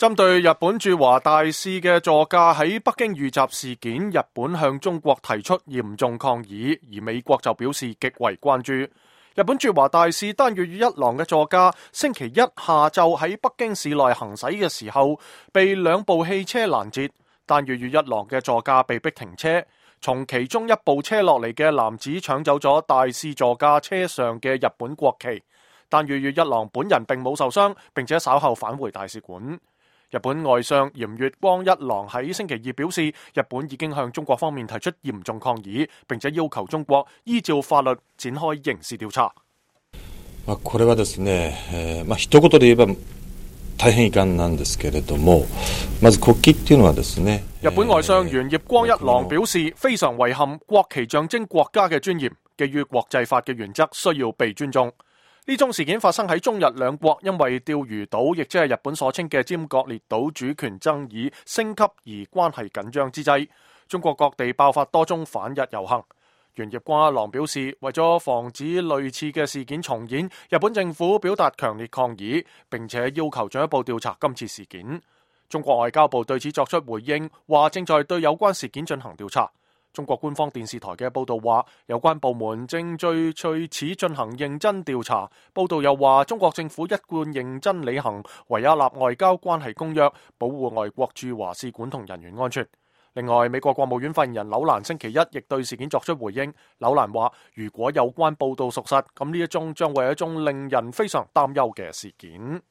針對日本駐華大使嘅座駕喺北京遇襲事件，日本向中國提出嚴重抗議，而美國就表示極為關注。日本駐華大使丹羽羽一郎嘅座駕星期一下晝喺北京市內行駛嘅時候，被兩部汽車攔截，丹羽羽一郎嘅座駕被逼停車，從其中一部車落嚟嘅男子搶走咗大使座駕車上嘅日本國旗。丹羽羽一郎本人並冇受傷，並且稍後返回大使館。日本外相鹽月光一郎喺星期二表示，日本已經向中國方面提出嚴重抗議，並且要求中國依照法律展開刑事調查。これはですね、一言で言えば大変遺憾なんですけれども、まず國旗っていうのはですね。日本外相鹽月光一郎表示，非常遺憾，國旗象徵國家嘅尊嚴，基於國際法嘅原則需要被尊重。呢宗事件發生喺中日兩國因為釣魚島，亦即係日本所稱嘅尖閣列島主權爭議升級而關係緊張之際，中國各地爆發多宗反日遊行。鹽月光一郎表示，為咗防止類似嘅事件重演，日本政府表達強烈抗議，並且要求進一步調查今次事件。中國外交部對此作出回應，話正在對有關事件進行調查。中國官方電視台嘅報道話，有關部門正對此進行認真調查。報道又話，中國政府一貫認真履行維也納外交關係公約，保護外國駐華使館同人員安全。另外，美國國務院發言人紐蘭星期一亦對事件作出回應。紐蘭話，如果有關報道屬實，咁呢一宗將會係一宗令人非常擔憂嘅事件。